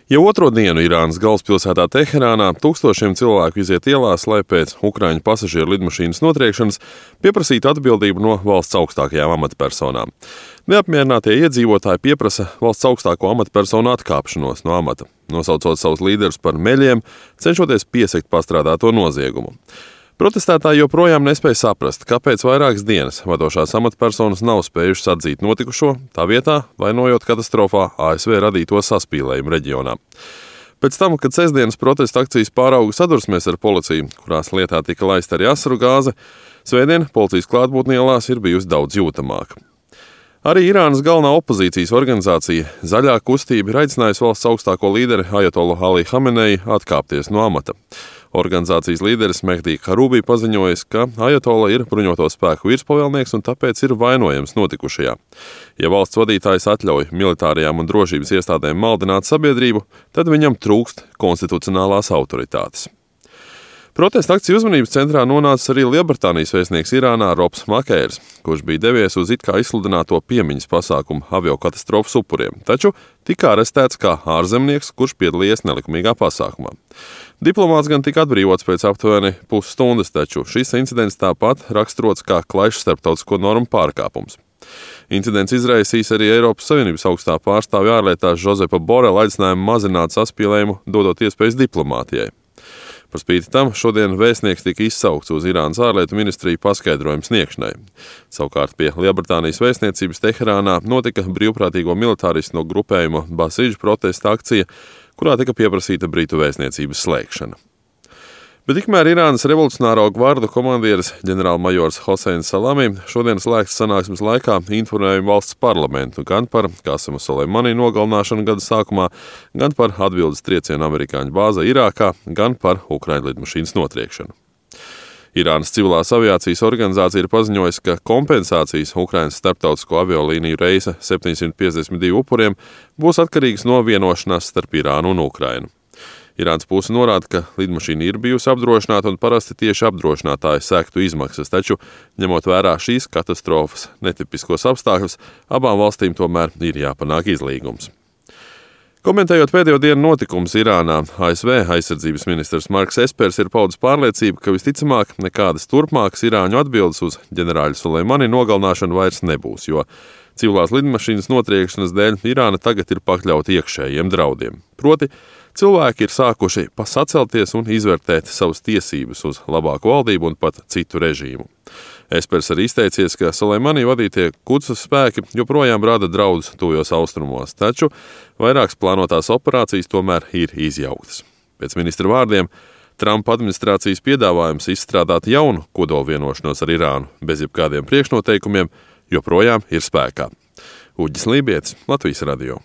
Jau otro dienu Irānas galvaspilsētā Teherānā tūkstošiem cilvēku iziet ielās, lai pēc Ukraiņu pasažieru lidmašīnas notriekšanas pieprasītu atbildību no valsts augstākajām amatpersonām. Neapmierinātie iedzīvotāji pieprasa valsts augstāko amatpersonu atkāpšanos no amata, nosaucot savus līderus par meļiem, cenšoties piesekt pastrādāto noziegumu. Protestētāji joprojām nespēja saprast, kāpēc vairākas dienas vadošās amatpersonas nav spējušas atzīt notikušo, tā vietā vainojot katastrofā ASV radīto saspīlējumu reģionā. Pēc tam, kad sestdienas protesta akcijas pārauga sadursmēs ar policiju, kurās lietā tika laista arī asaru gāze, svētdien policijas klātbūtne ielās ir bijusi daudz jūtamāka. Arī Irānas galvenā opozīcijas organizācija Zaļā kustība ir aicinājusi valsts augstāko līderi Ajatolu Ali Hameneju atkāpties no amata. Organizācijas līderis Mehdi Karūbī paziņojis, ka Ajatola ir bruņoto spēku virspavēlnieks un tāpēc ir vainojams notikušajā. Ja valsts vadītājs atļauj militārajām un drošības iestādēm maldināt sabiedrību, tad viņam trūkst konstitucionālās autoritātes. Protesta akciju uzmanības centrā nonācis arī Lielbritānijas vēstnieks Irānā Robs Makērs, kurš bija devies uz it kā izsludināto piemiņas pasākumu aviokatastrofas upuriem, taču tika arestēts kā ārzemnieks, kurš piedalījies nelikumīgā pasākumā. Diplomāts gan tika atbrīvots pēc aptuveni pusstundas, taču šis incidents tāpat raksturots kā klaišs starptautisko normu pārkāpums. Incidents izraisīs arī Eiropas Savienības augstā pārstāvja ārlietās Žozepa Borela aicinājumu mazināt saspīlējumu, dodot iespējas diplomātijai. Par spīti tam šodien vēstnieks tika izsaukts uz Irānas ārlietu ministriju paskaidrojumu sniegšanai. Savukārt pie Lielbritānijas vēstniecības Teherānā notika brīvprātīgo militāristu no grupējuma Basīdžu protesta akcija, kurā tika pieprasīta Britu vēstniecības slēgšana. Bet tikmēr Irānas revolucionāro gvardu komandieris ģenerālmajors Hoseins Salami šodien slēgtas sanāksmes laikā informēja valsts parlamentu gan par Kasema Soleimani nogalināšanu gada sākumā, gan par atbildes triecienu amerikāņu bāzē Irākā, gan par Ukraiņu lidmašīnas notriekšanu. Irānas civilās aviācijas organizācija ir paziņojusi, ka kompensācijas Ukrainas starptautisko aviolīniju reisa 752 upuriem būs atkarīgas no vienošanās starp Irānu un Ukrainu. Irānas puse norāda, ka lidmašīna ir bijusi apdrošināta un parasti tieši apdrošinātāji sektu izmaksas, taču, ņemot vērā šīs katastrofas netipiskos apstākļus, abām valstīm tomēr ir jāpanāk izlīgums. Komentējot pēdējo dienu notikumus Irānā, ASV aizsardzības ministrs Marks Espers ir paudis pārliecību, ka visticamāk nekādas turpmākas irāņu atbildes uz ģenerāļa Soleimani nogalināšanu vairs nebūs, jo civilās lidmašīnas notriekšanas dēļ Irāna tagad ir pakļauta iekšējiem draudiem. Proti, cilvēki ir sākuši sacelties un izvērtēt savas tiesības uz labāku valdību un pat citu režīmu. Espers arī izteicies, ka Soleimani vadītie Kudsas spēki joprojām rada draudus tuvajos austrumos, taču vairākas plānotās operācijas tomēr ir izjauktas. Pēc ministra vārdiem, Trumpa administrācijas piedāvājums izstrādāt jaunu kodolvienošanos ar Irānu bez jebkādiem priekšnoteikumiem joprojām ir spēkā. Uģis Lībietis, Latvijas radio.